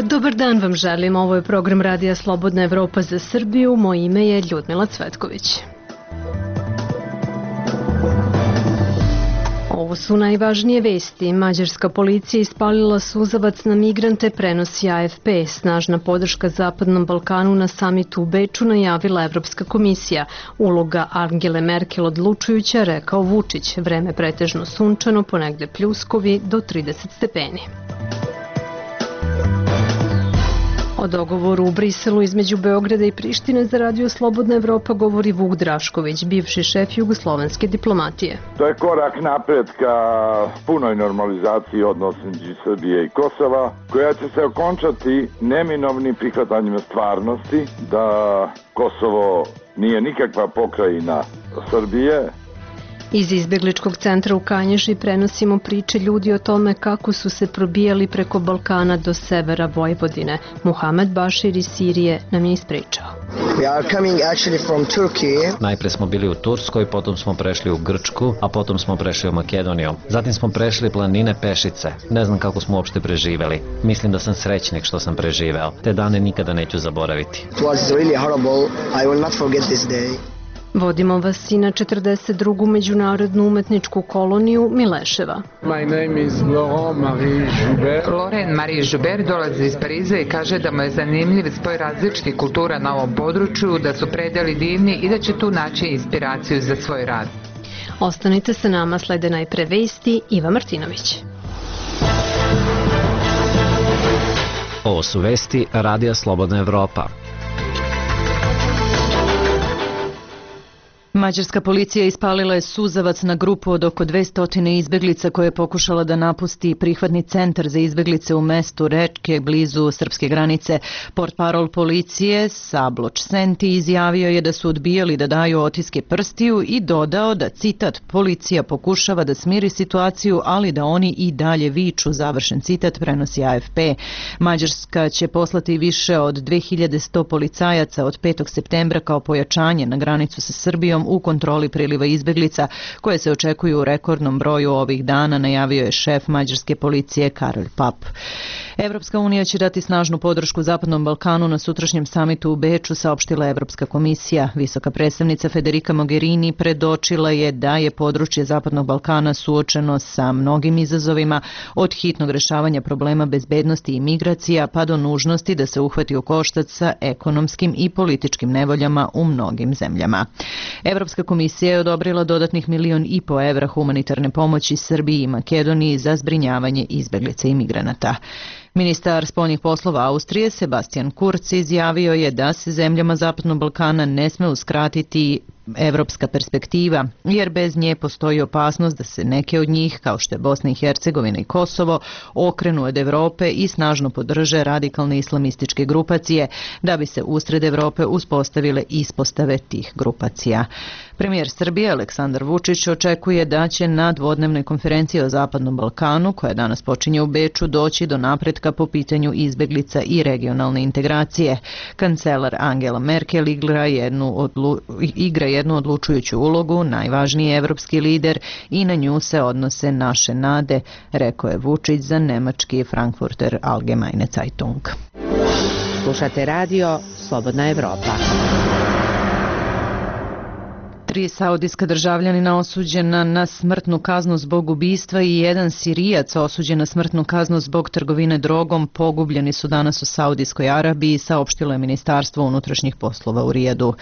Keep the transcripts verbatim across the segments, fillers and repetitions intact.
Dobar dan vam želim, ovo je program Radija Slobodna Evropa za Srbiju, moje ime je Ljudmila Cvetković. Ovo su najvažnije vesti. Mađarska policija ispalila suzavac na migrante, prenosi A F P. Snažna podrška Zapadnom Balkanu na samitu u Beču najavila Evropska komisija. Uloga Angele Merkel odlučujuća, rekao Vučić. Vreme pretežno sunčano, ponegde pljuskovi do trideset stepeni. O dogovoru u Briselu između Beograda i Prištine za Radio Slobodna Evropa govori Vuk Drašković, bivši šef jugoslovenske diplomatije. To je korak napred ka punoj normalizaciji odnosa između Srbije i Kosova, koja će se okončati neminovnim prihvatanjem stvarnosti da Kosovo nije nikakva pokrajina Srbije. Iz izbegličkog centra u Kanjiži prenosimo priče ljudi o tome kako su se probijali preko Balkana do severa Vojvodine. Muhamed Bašir iz Sirije nam je ispričao. Najpre smo bili u Turskoj, potom smo prešli u Grčku, a potom smo prešli u Makedoniju. Zatim smo prešli planine pešice. Ne znam kako smo uopšte preživeli. Mislim da sam srećnik što sam preživeo. Te dane nikada neću zaboraviti. Vodimo vas i na četrdeset drugu međunarodnu umetničku koloniju Mileševa. My name is Laurent Marie Joubert. Laurent Marie Joubert dolazi iz Pariza i kaže da mu je zanimljiv spoj različitih kultura na ovom području, da su predeli divni i da će tu naći inspiraciju za svoj rad. Ostanite sa nama, slede najpre vesti, Iva Martinović. Ovo su vesti Radija Slobodna Evropa. Mađarska policija ispalila je suzavac na grupu od oko dvesta izbeglica koja je pokušala da napusti prihvatni centar za izbeglice u mestu Rečke blizu srpske granice. Portparol policije Sabloč Senti izjavio je da su odbijali da daju otiske prstiju i dodao da, citat, policija pokušava da smiri situaciju, ali da oni i dalje viču, završen citat, prenosi A F P. Mađarska će poslati više od dve hiljade sto policajaca od petog septembra kao pojačanje na granicu sa Srbijom u kontroli priliva izbeglica koje se očekuju u rekordnom broju ovih dana, najavio je šef mađarske policije Karol Pap. Evropska unija će dati snažnu podršku Zapadnom Balkanu na sutrašnjem samitu u Beču, saopštila Evropska komisija. Visoka predstavnica Federica Mogherini predočila je da je područje Zapadnog Balkana suočeno sa mnogim izazovima, od hitnog rešavanja problema bezbednosti i migracija pa do nužnosti da se uhvati u koštac sa ekonomskim i političkim nevoljama u mnogim zemljama. Evropska komisija je odobrila dodatnih milion i po evra humanitarne pomoći Srbiji i Makedoniji za zbrinjavanje izbeglica i migranata. Ministar spoljnih poslova Austrije Sebastian Kurz izjavio je da se zemljama Zapadnog Balkana ne sme uskratiti evropska perspektiva, jer bez nje postoji opasnost da se neke od njih, kao što je Bosna i Hercegovina i Kosovo, okrenu od Evrope i snažno podrže radikalne islamističke grupacije, da bi se usred Evrope uspostavile ispostave tih grupacija. Premijer Srbije Aleksandar Vučić očekuje da će na dvodnevnoj konferenciji o Zapadnom Balkanu, koja danas počinje u Beču, doći do napretka po pitanju izbeglica i regionalne integracije. Kancelar Angela Merkel igra jednu, odlu, igra jednu odlučujuću ulogu, najvažniji evropski lider, i na nju se odnose naše nade, rekao je Vučić za nemački Frankfurter Allgemeine Zeitung. Slušate radio Slobodna Evropa. Tri saudijska državljanina osuđena na smrtnu kaznu zbog ubistva i jedan Sirijac osuđen na smrtnu kaznu zbog trgovine drogom pogubljeni su danas u Saudijskoj Arabiji, saopštilo je Ministarstvo unutrašnjih poslova u Rijadu.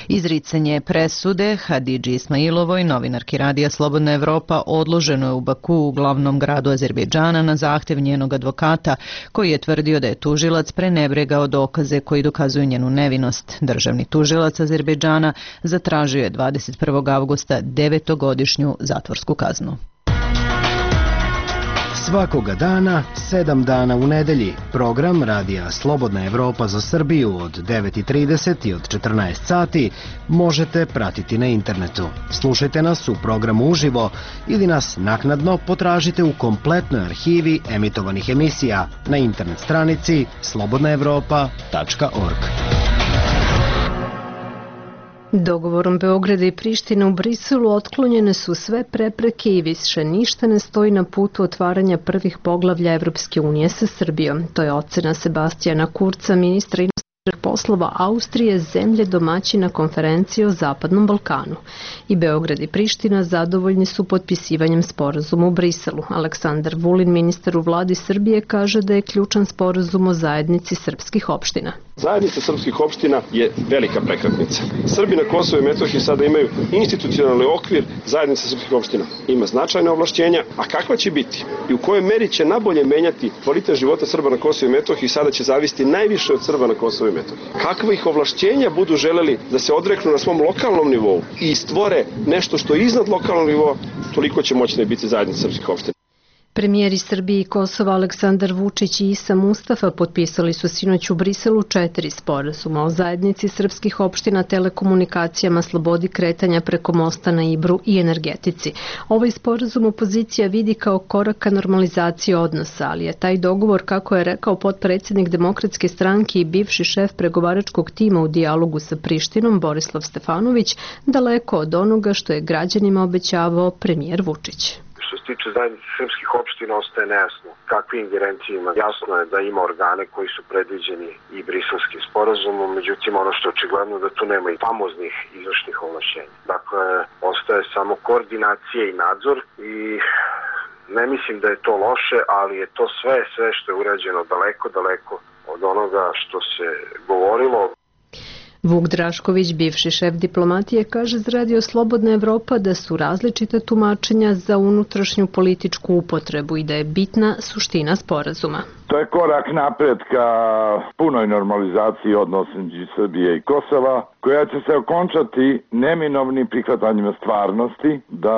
Izricanje presude Hadidži Ismailovoj, novinarki Radija Slobodna Evropa, odloženo je u Baku, u glavnom gradu Azerbejdžana, na zahtev njenog advokata, koji je tvrdio da je tužilac prenebregao dokaze koji dokazuju njenu nevinost. Državni tužilac Azerbejdžana zatražio je dvadeset prvog avgusta devetogodišnju zatvorsku kaznu. Svakoga dana, sedam dana u nedelji, program Radija Slobodna Evropa za Srbiju od devet i trideset i od četrnaest sati možete pratiti na internetu. Slušajte nas u programu uživo ili nas naknadno potražite u kompletnoj arhivi emitovanih emisija na internet stranici slobodna evropa tačka org. Dogovorom Beograda i Prištine u Briselu otklonjene su sve prepreke i više ništa ne stoji na putu otvaranja prvih poglavlja Evropske unije sa Srbijom. To je ocena Sebastijana Kurca, ministra inostranih poslova Austrije, zemlje domaćina konferencije o Zapadnom Balkanu. I Beograd i Priština zadovoljni su potpisivanjem sporazuma u Briselu. Aleksandar Vulin, ministar u vladi Srbije, kaže da je ključan sporazum o zajednici srpskih opština. Zajednica srpskih opština je velika prekretnica. Srbi na Kosovu i Metohiji sada imaju institucionalni okvir zajednice srpskih opština. Ima značajne ovlašćenja, a kakva će biti i u kojoj meri će nabolje menjati kvalitet života Srba na Kosovu i Metohiji sada će zavisiti najviše od Srba na Kosovu i Metohiji. Kakva ih ovlašćenja budu želeli da se odreknu na svom lokalnom nivou i stvore nešto što je iznad lokalnog nivoa, toliko će moćna biti zajednica srpskih opština. Premijeri Srbije i Kosova Aleksandar Vučić i Isa Mustafa potpisali su sinoć u Briselu četiri sporazuma o zajednici srpskih opština, telekomunikacijama, slobodi kretanja preko mosta na Ibru i energetici. Ovaj sporazum opozicija vidi kao korak ka normalizaciji odnosa, ali je taj dogovor, kako je rekao potpredsjednik Demokratske stranke i bivši šef pregovaračkog tima u dijalogu sa Prištinom Borislav Stefanović, daleko od onoga što je građanima obećavao premijer Vučić. Što se tiče zajednice srpskih opština, ostaje nejasno kakve ingerencije ima. Jasno je da ima organe koji su predviđeni i briselskim sporazumom, međutim ono što je očigledno da tu nema i famoznih izvršnih ovlašćenja. Dakle, ostaje samo koordinacija i nadzor i ne mislim da je to loše, ali je to sve, sve što je urađeno daleko, daleko od onoga što se govorilo. Vuk Drašković, bivši šef diplomatije, kaže za Radio Slobodna Evropa da su različite tumačenja za unutrašnju političku upotrebu i da je bitna suština sporazuma. To je korak napred ka punoj normalizaciji odnosa između Srbije i Kosova, koja će se okončati neminovnim prihvatanjem stvarnosti da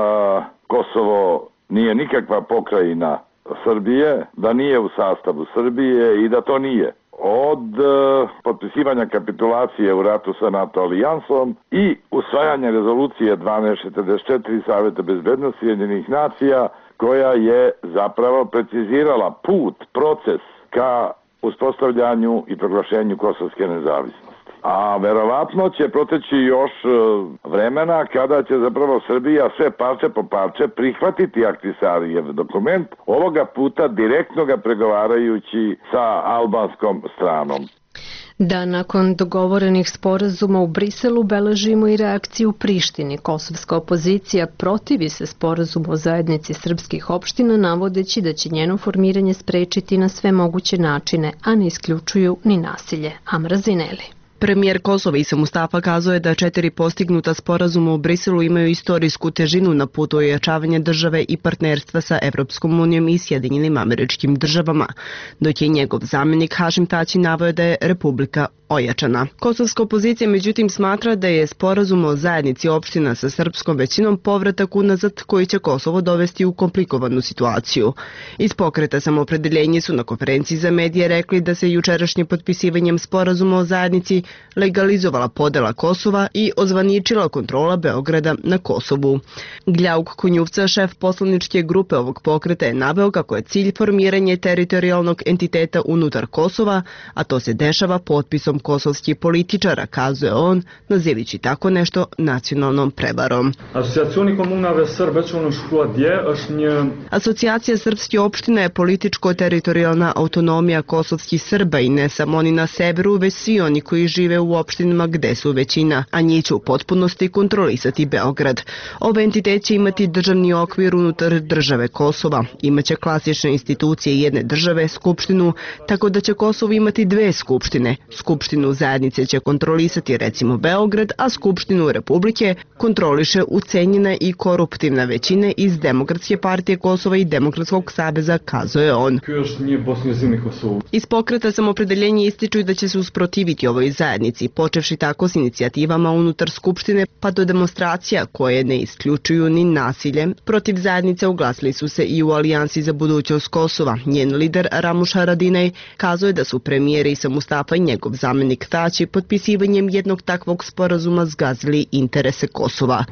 Kosovo nije nikakva pokrajina Srbije, da nije u sastavu Srbije i da to nije. Od uh, potpisivanja kapitulacije u ratu sa NATO alijansom i usvajanja rezolucije dvanaest četrdeset četiri Saveta bezbednosti Ujedinjenih nacija, koja je zapravo precizirala put, proces ka uspostavljanju i proglašenju kosovske nezavisnosti. A verovatno će proteći još vremena kada će zapravo Srbija sve parče po parče prihvatiti Ahtisarijev dokument, ovoga puta direktno ga pregovarajući sa albanskom stranom. Da, nakon dogovorenih sporazuma u Briselu beležimo i reakciju u Prištini. Kosovska opozicija protivi se sporazumu o zajednici srpskih opština, navodeći da će njeno formiranje sprečiti na sve moguće načine, a ne isključuju ni nasilje. Amra Zineli. Premijer Kosova Isa Mustafa kazuje da četiri postignuta sporazuma u Briselu imaju istorijsku težinu na putu ojačavanja države i partnerstva sa Evropskom unijom i Sjedinjenim Američkim Državama, dok je njegov zamjenik Hašim Tači naveo da je Republika ojačana. Kosovska opozicija međutim smatra da je sporazum o zajednici opština sa srpskom većinom povratak unazad koji će Kosovo dovesti u komplikovanu situaciju. Iz pokreta Samoopredeljenje su na konferenciji za medije rekli da se jučerašnjim potpisivanjem sporazuma o zajednici legalizovala podela Kosova i ozvaničila kontrola Beograda na Kosovu. Gljauk Konjuvca, šef poslaničke grupe ovog pokreta, je naveo kako je cilj formiranje teritorijalnog entiteta unutar Kosova, a to se dešava potpisom kosovskih političara, kazuje on, nazivići tako nešto nacionalnom prevarom. Asocijacija srpskih opština je političko-teritorijalna autonomija kosovskih Srba i ne samo oni na severu, već svi oni koji žive u opštinama gde su većina, a njih će u potpunosti kontrolisati Beograd. Ovaj entitet će imati državni okvir unutar države Kosova. Imaće klasične institucije jedne države, skupštinu, tako da će Kosovo imati dve skupštine. Skupštinu zajednice će kontrolisati recimo Beograd, a Skupštinu Republike kontroliše ucenjena i koruptivna većina iz Demokratske partije Kosova i Demokratskog saveza, kazuje on. Iz pokreta Samoopredeljenje ističu da će se usprotiviti ovoj zajednici, počevši tako s inicijativama unutar Skupštine pa do demonstracija koje ne isključuju ni nasilje. Protiv zajednice uglasili su se i u Alijansi za budućnost Kosova. Njen lider Ramuš Haradinaj kazuje da su premijer Isa Mustafa i njegov zamjenik Tači potpisivanjem jednog takvog sporazuma zgazili interese Kosova.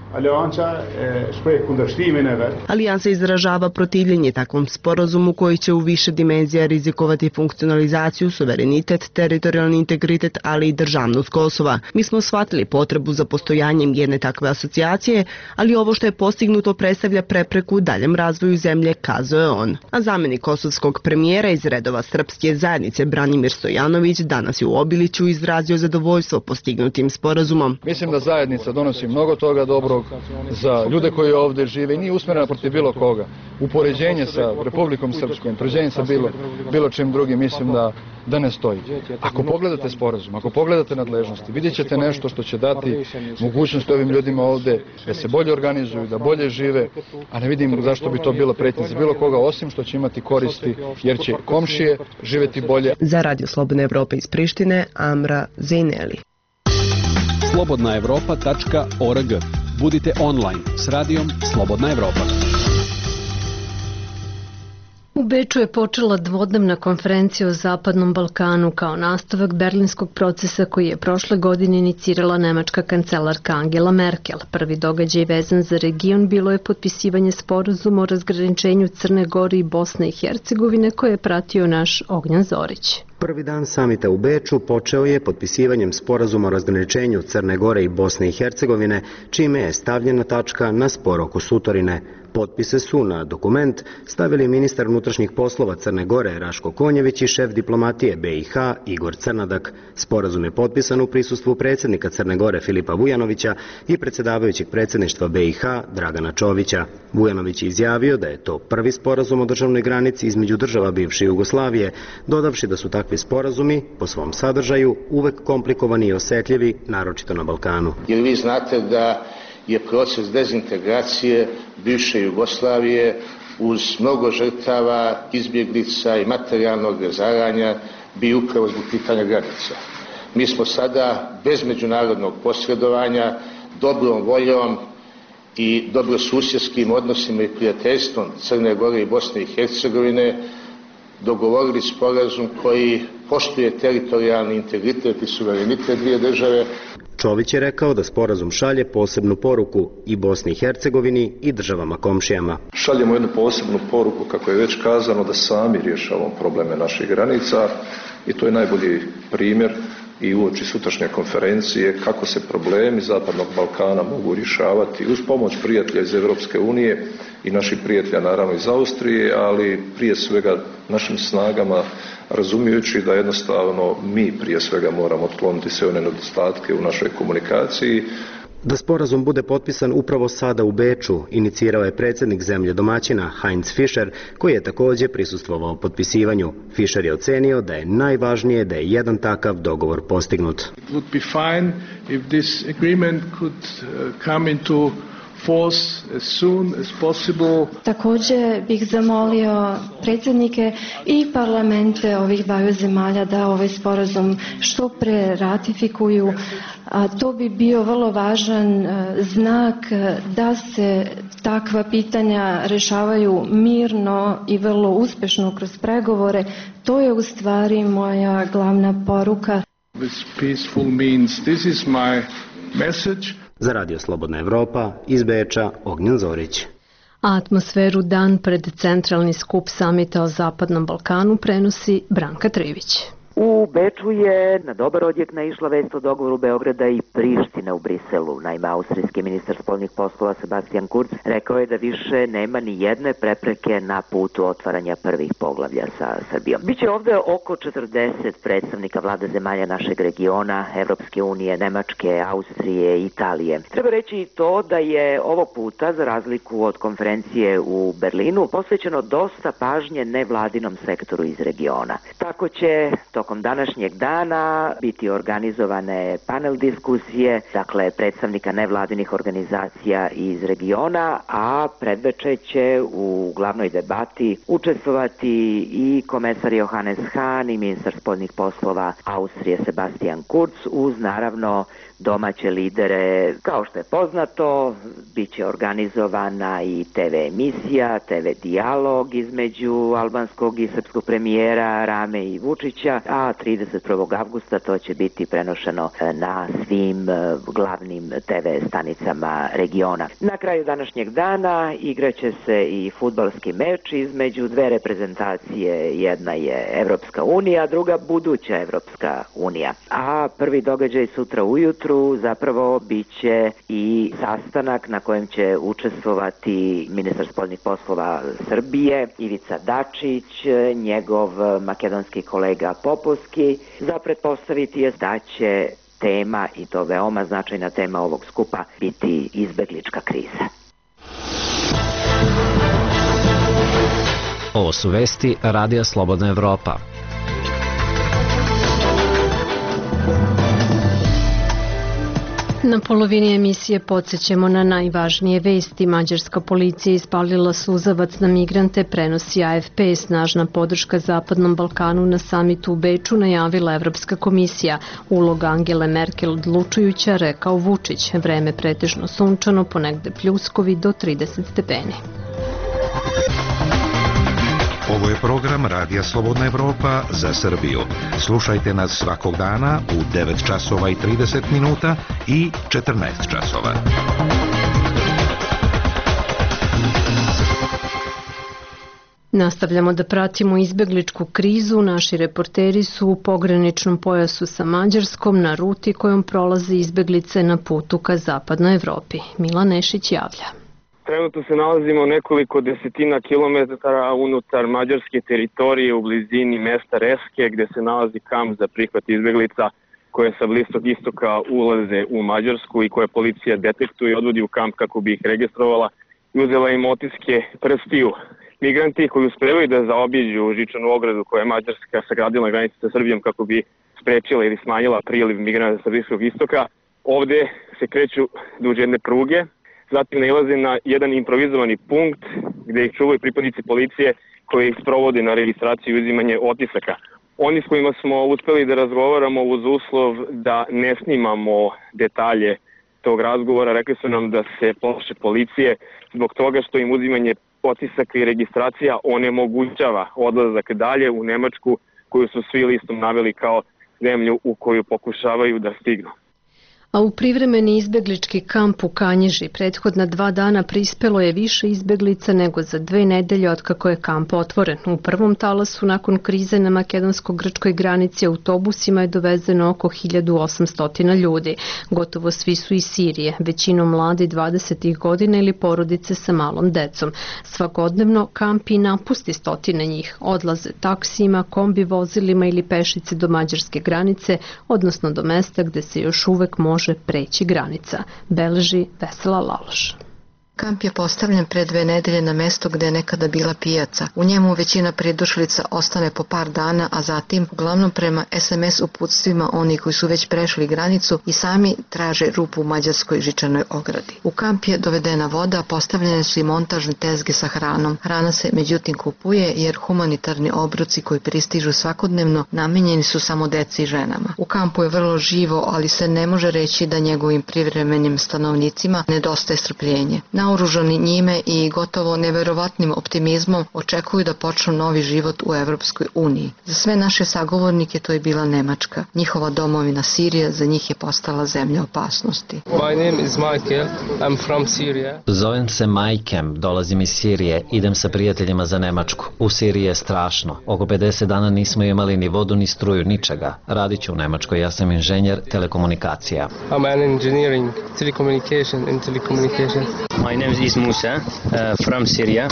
Alijansa izražava protivljenje takvom sporazumu koji će u više dimenzija rizikovati funkcionalizaciju, suverenitet, teritorijalni integritet, ali i državnost državnost Kosova. Mi smo shvatili potrebu za postojanjem jedne takve asocijacije, ali ovo što je postignuto predstavlja prepreku daljem razvoju zemlje, kazao je on. A zamjenik kosovskog premijera iz redova srpske zajednice Branimir Stojanović danas je u Obiliću izrazio zadovoljstvo postignutim sporazumom. Mislim da zajednica donosi mnogo toga dobrog za ljude koji ovdje žive i nije usmjerena protiv bilo koga. Upoređenje sa Republikom Srpskom, upoređenje sa bilo, bilo čim drugim, mislim da, da ne stoji. Ako pogledate sporazum, ako pogledate nadležnosti, vidjet ćete nešto što će dati mogućnost ovim ljudima ovdje da se bolje organizuju, da bolje žive, a ne vidim zašto bi to bilo pretnje za bilo koga, osim što će imati koristi, jer će komšije živjeti bolje. Za Radio Slobodna Evropa iz Prištine, Amra Zejneli. slobodna evropa tačka org. Budite online s radijom Slobodna Evropa. U Beču je počela dvodnevna konferencija o Zapadnom Balkanu kao nastavak berlinskog procesa koji je prošle godine inicirala nemačka kancelarka Angela Merkel. Prvi događaj vezan za region bilo je potpisivanje sporazuma o razgraničenju Crne Gore i Bosne i Hercegovine koje je pratio naš Ognjan Zorić. Prvi dan samita u Beču počeo je potpisivanjem sporazuma o razgraničenju Crne Gore i Bosne i Hercegovine, čime je stavljena tačka na spor oko Sutorine. Potpise su na dokument stavili ministar unutrašnjih poslova Crne Gore Raško Konjević i šef diplomatije B i H Igor Crnadak. Sporazum je potpisan u prisustvu predsjednika Crne Gore Filipa Vujanovića i predsjedavajućeg predsjedništva B i H Dragana Čovića. Vujanović je izjavio da je to prvi sporazum o državnoj granici između država bivše Jugoslavije, dodavši da su takvi sporazumi po svom sadržaju uvek komplikovani i osetljivi, naročito na Balkanu. Jer vi znate da je proces dezintegracije bivše Jugoslavije uz mnogo žrtava, izbjeglica i materijalnog razaranja bio upravo zbog pitanja granica. Mi smo sada bez međunarodnog posredovanja, dobrom voljom i dobrosusjedskim odnosima i prijateljstvom Crne Gore i Bosne i Hercegovine dogovorili sporazum koji poštuje teritorijalni integritet i suverenitet dvije države. Čović je rekao da sporazum šalje posebnu poruku i Bosni i Hercegovini i državama komšijama. Šaljemo jednu posebnu poruku, kako je već kazano, da sami rješavamo probleme naših granica i to je najbolji primjer i uoči sutrašnje konferencije kako se problemi Zapadnog Balkana mogu rješavati uz pomoć prijatelja iz Europske unije i naših prijatelja naravno iz Austrije, ali prije svega našim snagama, razumijući da jednostavno mi prije svega moramo otkloniti sve one nedostatke u našoj komunikaciji. Da sporazum bude potpisan upravo sada u Beču, inicirao je predsjednik zemlje domaćina Heinz Fischer, koji je također prisustvovao potpisivanju. Fischer je ocenio da je najvažnije da je jedan takav dogovor postignut. It would be fine if this agreement could come into force as soon as possible. Također bih zamolio predsjednike i parlamente ovih dvaju zemalja da ovaj sporazum što pre ratifikuju. A to bi bio vrlo važan znak da se takva pitanja rešavaju mirno i vrlo uspešno kroz pregovore. To je u stvari moja glavna poruka. This peaceful means this is my message. Za Radio Slobodna Evropa iz Beča, Ognjan Zorić. A atmosferu dan pred centralni skup samita o Zapadnom Balkanu prenosi Branka Trivić. U Beču je na dobar odjek naišla vest o dogovoru Beograda i Prištine u Briselu. Naime, austrijski ministar spoljnih poslova Sebastian Kurz rekao je da više nema ni jedne prepreke na putu otvaranja prvih poglavlja sa Srbijom. Biće ovde oko četrdeset predstavnika vlade zemalja našeg regiona, Evropske unije, Nemačke, Austrije, Italije. Treba reći i to da je ovog puta, za razliku od konferencije u Berlinu, posvećeno dosta pažnje nevladinom sektoru iz regiona. Tako će tokom današnjeg dana biti organizovane panel diskusije, dakle predstavnika nevladinih organizacija iz regiona, a predveče će u glavnoj debati učestvovati i komesar Johannes Hahn i ministar spoljnih poslova Austrije Sebastian Kurz uz naravno domaće lidere. Kao što je poznato, bit će organizovana i te ve emisija, te ve dijalog između albanskog i srpskog premijera Rame i Vučića, a trideset prvog avgusta to će biti prenošeno na svim glavnim te ve stanicama regiona. Na kraju današnjeg dana igraće se i fudbalski meč između dve reprezentacije. Jedna je Evropska unija, druga buduća Evropska unija. A prvi događaj sutra ujutru zapravo bit će i sastanak na kojem će učestvovati ministar spoljnih poslova Srbije Ivica Dačić, njegov makedonski kolega Popovski. Za pretpostaviti je da će tema, i to veoma značajna tema ovog skupa, biti izbeglička kriza. Ovo su vesti Radija Slobodna Evropa. Na polovini emisije podsjećamo na najvažnije vesti. Mađarska policija ispalila suzavac na migrante, prenosi A F P. Snažna podrška Zapadnom Balkanu na samitu u Beču najavila Evropska komisija. Uloga Angele Merkel odlučujuća, rekao Vučić. Vreme pretežno sunčano, ponegde pljuskovi do trideset stepeni. Ovo je program Radija Slobodna Evropa za Srbiju. Slušajte nas svakog dana u devet časova i trideset minuta i četrnaest časova. Nastavljamo da pratimo izbegličku krizu. Naši reporteri su u pograničnom pojasu sa Mađarskom na ruti kojom prolaze izbeglice na putu ka Zapadnoj Evropi. Milan Nešić javlja. Trenutno se nalazimo nekoliko desetina kilometara unutar mađarske teritorije u blizini mesta Reske, gde se nalazi kamp za prihvat izbeglica koje sa Bliskog istoka ulaze u Mađarsku i koje policija detektuje i odvodi u kamp kako bi ih registrovala i uzela im otiske prstiju. Migranti koji uspevaju da zaobiđu žičanu ogradu koja je Mađarska sagradila na granici sa Srbijom kako bi sprečila ili smanjila priliv migranata sa Bliskog istoka, ovde se kreću duž jedne pruge. Zatim nailaze na jedan improvizovani punkt gde ih čuvaju pripadnici policije koji ih sprovode na registraciju i uzimanje otisaka. Oni s kojima smo uspeli da razgovaramo uz uslov da ne snimamo detalje tog razgovora, rekli su nam da se plaše policije zbog toga što im uzimanje otisaka i registracija onemogućava odlazak dalje u Nemačku, koju su svi listom naveli kao zemlju u koju pokušavaju da stignu. A u privremeni izbeglički kamp u Kanjiži prethodna dva dana prispelo je više izbeglica nego za dve nedelje otkako je kamp otvoren. U prvom talasu nakon krize na makedonsko-grčkoj granici autobusima je dovezeno oko hiljadu osamsto ljudi. Gotovo svi su iz Sirije, većinom mladi dvadesetih godina ili porodice sa malom decom. Svakodnevno kamp i napusti stotine njih. Odlaze taksijima, kombi vozilima ili pešice do mađarske granice, odnosno do mesta gde se još uvek može može preći granica, beleži Vesela Laloš. Kamp je postavljen pre dve nedelje na mesto gde je nekada bila pijaca. U njemu većina pridošlica ostane po par dana, a zatim, uglavnom prema es em es uputstvima oni koji su već prešli granicu i sami traže rupu u mađarskoj žičanoj ogradi. U kamp je dovedena voda, postavljene su i montažne tezge sa hranom. Hrana se međutim kupuje jer humanitarni obroci koji pristižu svakodnevno namenjeni su samo deci i ženama. U kampu je vrlo živo, ali se ne može reći da njegovim privremenim stanovnicima nedostaje strpljenje. Naoružani njime i gotovo neverovatnim optimizmom očekuju da počnu novi život u Evropskoj uniji. Za sve naše sagovornike to je bila Nemačka. Njihova domovina Sirija za njih je postala zemlja opasnosti. My name is Michael. I'm from Syria. Zovem se Majkem, dolazim iz Sirije, idem sa prijateljima za Nemačku. U Siriji je strašno. Oko pedeset dana nismo imali ni vodu ni struju, ničega. Radit ću u Nemačkoj, ja sam inženjer telekomunikacija. I'm an engineering, telecommunication and telecommunication. My name is Musa, uh, from Syria,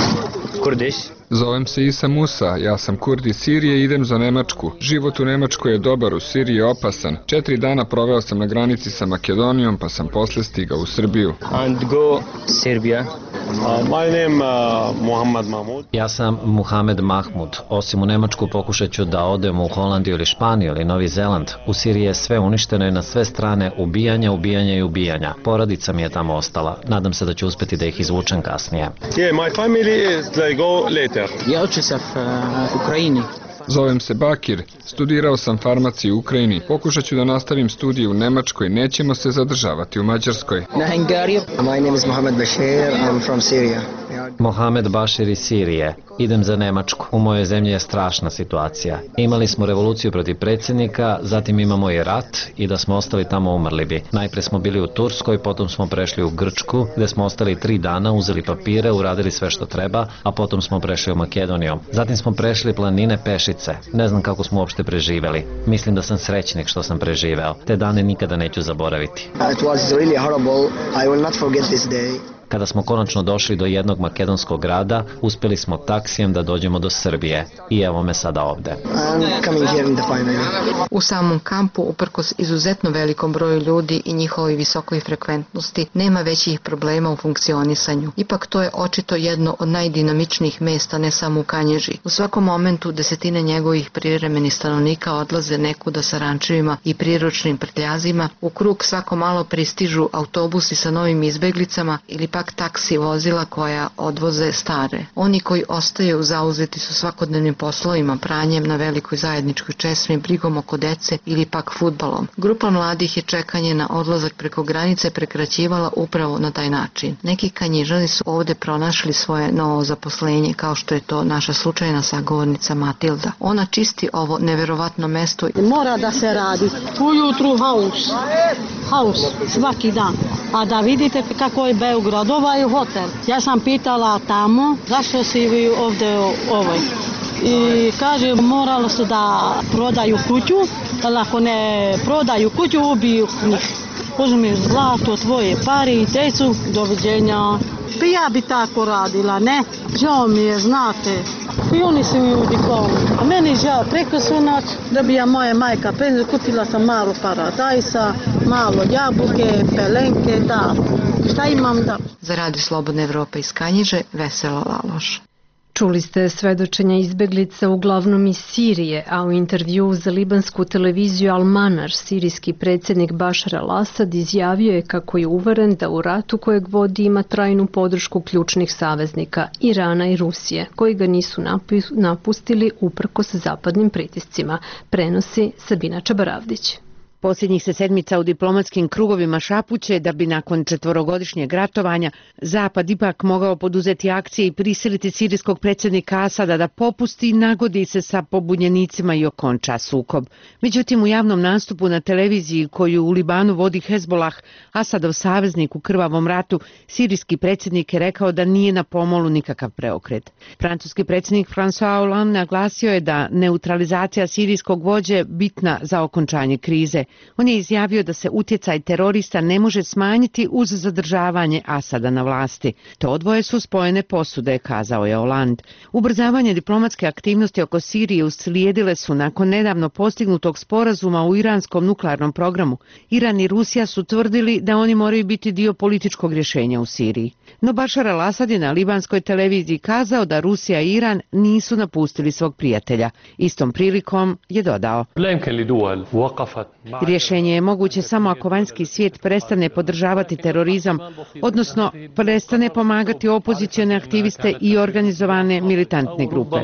Kurdish. Zovem se Isa Musa, ja sam Kurd iz Sirije i idem za Nemačku. Život u Nemačkoj je dobar, u Siriji je opasan. Četiri dana proveo sam na granici sa Makedonijom, pa sam posle stigao u Srbiju. And go Serbia. Uh, my name uh, Muhammad Mahmud. Ja sam Muhamed Mahmud. Osim u Nemačku pokušat ću da odem u Holandiju ili Španiju ili Novi Zeland. U Siriji je sve uništeno i na sve strane ubijanja, ubijanja i ubijanja. Porodica mi je tamo ostala. Nadam se da ću uspeti da ih izvučem kasnije. Yeah, my family is they go later. Я учуся в Украине. Zovem se Bakir, studirao sam farmaciju u Ukrajini, pokušat ću da nastavim studije u Nemačkoj, nećemo se zadržavati u Mađarskoj. My name is Mohamed Bashir, I'm from Syria. Mohamed Bashir iz Sirije. Idem za Nemačku. U mojoj zemlji je strašna situacija. Imali smo revoluciju protiv predsjednika, zatim imamo i rat i da smo ostali tamo umrli bi. Najpre smo bili u Turskoj, potom smo prešli u Grčku, gde smo ostali tri dana, uzeli papire, uradili sve što treba, a potom smo prešli u Makedoniju. Zatim smo prešli planine pešice. Ne znam kako smo uopšte preživeli. Mislim da sam srećnik što sam preživeo. Te dane nikada neću zaboraviti. It was really horrible. I will not forget this day. Kada smo konačno došli do jednog makedonskog grada, uspeli smo taksijem da dođemo do Srbije. I evo me sada ovde. U samom kampu, uprkos izuzetno velikom broju ljudi i njihovoj visokoj frekventnosti, nema većih problema u funkcionisanju. Ipak to je očito jedno od najdinamičnijih mesta, ne samo u Kanjiži. U svakom momentu desetine njegovih privremenih stanovnika odlaze nekuda sa rančevima i priručnim prtljazima. U krug svako malo pristižu autobusi sa novim izbeglicama ili pak taksi vozila koja odvoze stare. Oni koji ostaju zauzeti su svakodnevnim poslovima, pranjem na velikoj zajedničkoj česmi, brigom oko dece ili pak fudbalom. Grupa mladih je čekanje na odlazak preko granice prekraćivala upravo na taj način. Neki Kanjižani su ovde pronašli svoje novo zaposlenje, kao što je to naša slučajna sagovornica Matilda. Ona čisti ovo neverovatno mesto. Mora da se radi. Ujutru haus. Haus svaki dan. A da vidite kako je Beograd, ovaj hotel. Ja sam pitala tamo zašto si vi ovde ovoj. I kaže moralo su da prodaju kuću, ali ako ne prodaju kuću ubiju njih. Uzmi zlato, tvoje pare i decu, doviđenja. Pa ja bi tako radila, ne? Žao mi je, znate. I oni su ljudi kao. A meni žao, preko su noć da bi ja moja majka penziju, kupila sam malo paradajsa, malo jabuke, pelenke, da. Šta imam da? Za Radio Slobodne Evrope iz Kanjiže, Vesela Laloš. Čuli ste svedočenja izbeglica uglavnom iz Sirije, a u intervju za libansku televiziju Al-Manar, sirijski predsjednik Bašar al-Asad izjavio je kako je uveren da u ratu kojeg vodi ima trajnu podršku ključnih saveznika Irana i Rusije, koji ga nisu napustili uprkos zapadnim pritiscima, prenosi Sabina Čabaravdić. Posljednjih se sedmica u diplomatskim krugovima šapuće da bi nakon četvorogodišnjeg ratovanja Zapad ipak mogao poduzeti akcije i prisiliti sirijskog predsjednika Asada da popusti i nagodi se sa pobunjenicima i okonča sukob. Međutim, u javnom nastupu na televiziji koju u Libanu vodi Hezbolah, Asadov saveznik u krvavom ratu, sirijski predsjednik je rekao da nije na pomolu nikakav preokret. Francuski predsjednik François Hollande naglasio je da neutralizacija sirijskog vođe bitna za okončanje krize. On je izjavio da se utjecaj terorista ne može smanjiti uz zadržavanje Asada na vlasti. To dvoje su spojene posude, kazao je Hollande. Ubrzavanje diplomatske aktivnosti oko Sirije uslijedile su nakon nedavno postignutog sporazuma u iranskom nuklearnom programu. Iran i Rusija su tvrdili da oni moraju biti dio političkog rješenja u Siriji. No Bašar al-Asad je na libanskoj televiziji kazao da Rusija i Iran nisu napustili svog prijatelja. Istom prilikom je dodao: rješenje je moguće samo ako vanjski svijet prestane podržavati terorizam, odnosno prestane pomagati opozicione aktiviste i organizovane militantne grupe.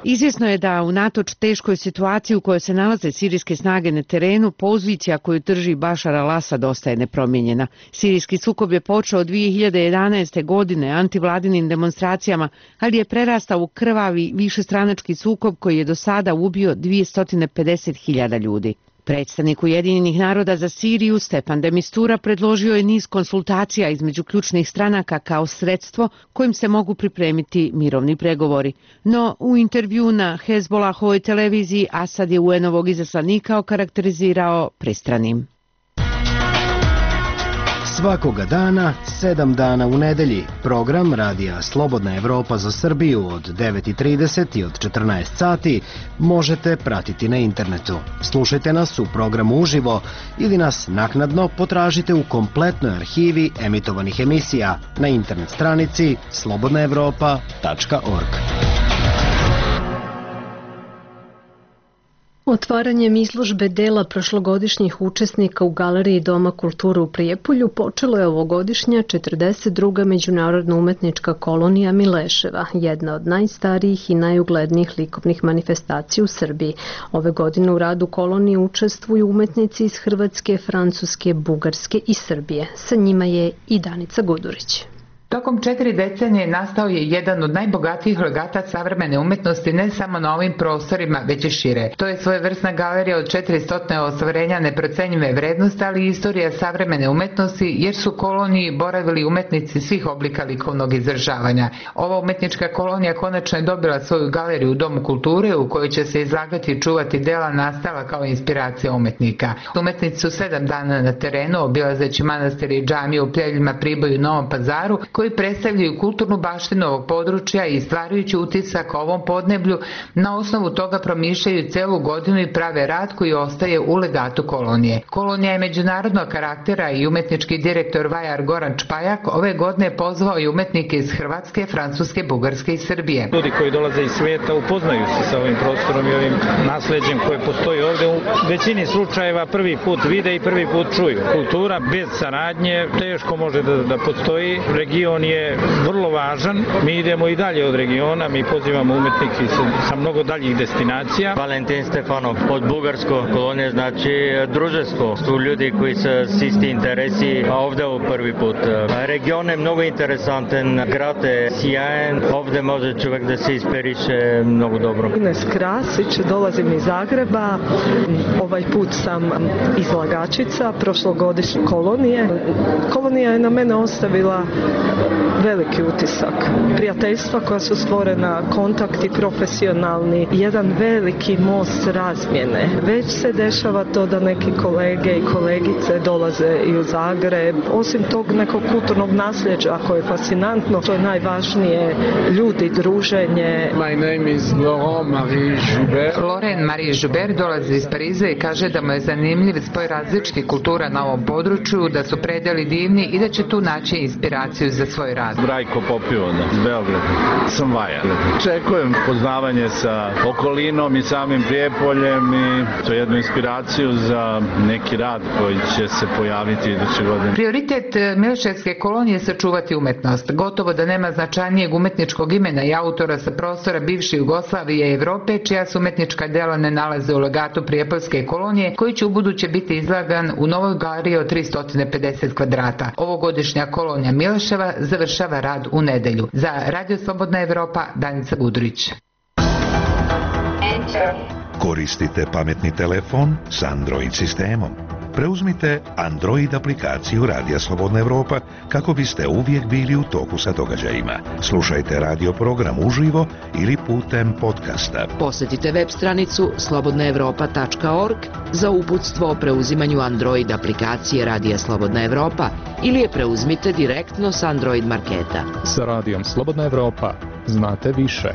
Izvjesno je da unatoč teškoj situaciji u kojoj se nalaze sirijske snage na terenu, pozicija koju drži Bašar al-Asad ostaje nepromijenjena. Sirijski sukob je počeo dvije hiljade jedanaeste. godine antivladinim demonstracijama, ali je prerastao u krvavi višestranački sukob koji je do sada ubio dvjesto pedeset hiljada ljudi. Predstavnik Ujedinjenih naroda za Siriju Stefan de Mistura predložio je niz konsultacija između ključnih stranaka kao sredstvo kojim se mogu pripremiti mirovni pregovori. No, u intervju na Hezbollahovoj televiziji Asad je U N-ovog izaslanika okarakterizirao pristranim. Svakoga dana, sedam dana u nedelji, program Radija Slobodna Evropa za Srbiju od devet i trideset i od četrnaest sati možete pratiti na internetu. Slušajte nas u programu uživo ili nas naknadno potražite u kompletnoj arhivi emitovanih emisija na internet stranici slobodna evropa tačka org. Otvaranjem izložbe dela prošlogodišnjih učesnika u Galeriji Doma kulture u Prijepolju počelo je ovogodišnja četrdeset druga međunarodna umetnička kolonija Mileševa, jedna od najstarijih i najuglednijih likovnih manifestacija u Srbiji. Ove godine u radu kolonije učestvuju umetnici iz Hrvatske, Francuske, Bugarske i Srbije. Sa njima je i Danica Gudurić. Tokom četiri decenije nastao je jedan od najbogatijih legata savremene umetnosti ne samo na ovim prostorima, već i šire. To je svojevrsna galerija od četiristo ostvarenja neprocenjive vrednosti, ali i istorija savremene umetnosti, jer su u koloniji boravili umetnici svih oblika likovnog izražavanja. Ova umetnička kolonija konačno je dobila svoju galeriju u Domu kulture u kojoj će se izlagati i čuvati dela nastala kao inspiracija umetnika. Umetnici su sedam dana na terenu, obilazeći manastire i džamije u Pljeljima, Priboju i Novom Pazaru, koji predstavljaju kulturnu baštinu ovog područja i stvarajući utisak o ovom podneblju, na osnovu toga promišljaju celu godinu i prave rad koji ostaje u legatu kolonije. Kolonija je međunarodnog karaktera i umetnički direktor Vajar Goran Čpajak ove godine pozvao i umetnike iz Hrvatske, Francuske, Bugarske i Srbije. Ljudi koji dolaze iz svijeta upoznaju se sa ovim prostorom i ovim nasleđem koje postoji ovde. U većini slučajeva prvi put vide i prvi put čuju. Kultura bez saradnje teško može da, da postoji. Region je vrlo važan. Mi idemo i dalje od regiona, mi pozivamo umetnike sa, sa mnogo daljih destinacija. Valentin Stefanov od Bugarsko kolonije, znači druženstvo. Tu ljudi koji su s isti interesi, a ovde u prvi put. Region je mnogo interesantan, grad je sjajan, ovde može čovjek da se inspiriše mnogo dobro. Ines Krasić, dolazim iz Zagreba, ovaj put sam izlagačica prošlogodišnje kolonije. Kolonija je na mene ostavila veliki utisak. Prijateljstva koja su stvorena, kontakti profesionalni, jedan veliki most razmjene. Već se dešava to da neki kolege i kolegice dolaze i u Zagreb. Osim tog nekog kulturnog nasljeđa koje je fascinantno, to je najvažnije, ljudi, druženje. My name is Laurent Marie Joubert. Laurent Marie Joubert dolazi iz Pariza i kaže da mu je zanimljiv spoj različitih kultura na ovom području, da su predeli divni i da će tu naći inspiraciju za svoj rad. Brajko Popivona iz Beograda. Sam Vaja. Čekujem poznavanje sa okolinom i samim Prijepoljem i to je jednu inspiraciju za neki rad koji će se pojaviti iduće godine. Prioritet Mileševske kolonije je sačuvati umetnost. Gotovo da nema značajnijeg umetničkog imena i autora sa prostora bivše Jugoslavije i Evrope, čija se umetnička dela ne nalaze u legatu Prijepoljske kolonije, koji će ubuduće biti izlagan u novoj galeriji od tristo pedeset kvadrata. Ovogodišnja kolonija Mileševa završava rad u nedelju. Za Radio Slobodna Evropa, Danica Gudurić. Koristite pametni telefon s Android sistemom. Preuzmite Android aplikaciju Radija Slobodna Evropa kako biste uvijek bili u toku sa događajima. Slušajte radio program uživo ili putem podcasta. Posjetite web stranicu slobodna evropa tačka org za uputstvo o preuzimanju Android aplikacije Radija Slobodna Evropa ili je preuzmite direktno s Android marketa. Sa Radijom Slobodna Evropa znate više.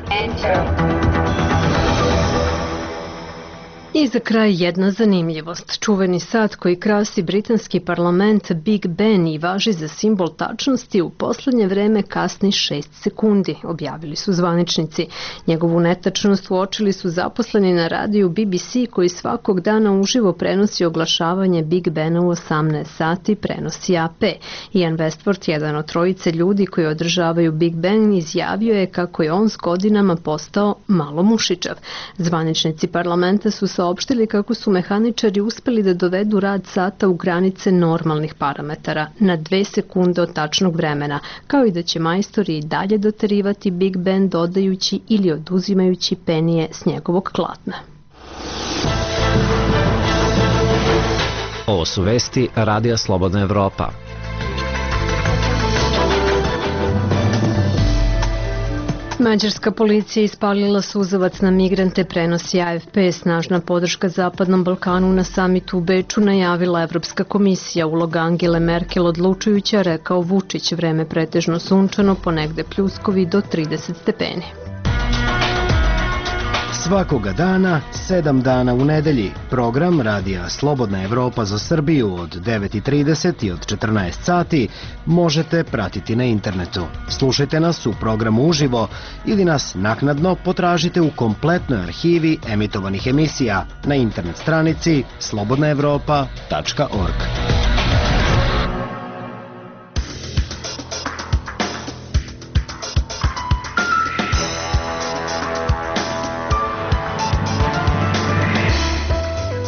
I za kraj jedna zanimljivost. Čuveni sat koji krasi britanski parlament Big Ben i važi za simbol tačnosti u poslednje vreme kasni šest sekundi, objavili su zvaničnici. Njegovu netačnost uočili su zaposleni na radiju B B C koji svakog dana uživo prenosi oglašavanje Big Bena u osamnaest sati, prenosi A P. Ian Westford, jedan od trojice ljudi koji održavaju Big Ben, izjavio je kako je on s godinama postao malo mušičav. Zvaničnici parlamenta su saopštili kako su mehaničari uspeli da dovedu rad sata u granice normalnih parametara, na dve sekunde od tačnog vremena, kao i da će majstori i dalje doterivati Big Ben dodajući ili oduzimajući penije s njegovog klatna. Ovo su vesti Radija Slobodna Evropa. Mađarska policija ispalila suzavac na migrante, prenosi A F P. Snažna podrška Zapadnom Balkanu na samitu u Beču najavila Evropska komisija. Uloga Angele Merkel odlučujuća, rekao Vučić. Vreme pretežno sunčano, ponegde pljuskovi do trideset stepeni. Svakoga dana, sedam dana u nedelji, program Radija Slobodna Evropa za Srbiju od devet i trideset i od četrnaest sati možete pratiti na internetu. Slušajte nas u programu uživo ili nas naknadno potražite u kompletnoj arhivi emitovanih emisija na internet stranici slobodna evropa tačka org.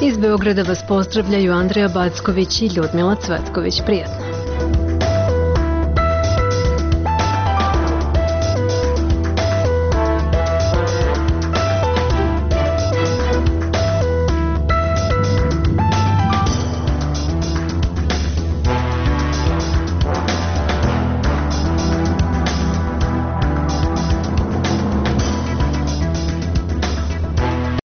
Iz Beograda vas pozdravljaju Andreja Backović i Ljudmila Cvetković. Prijatno.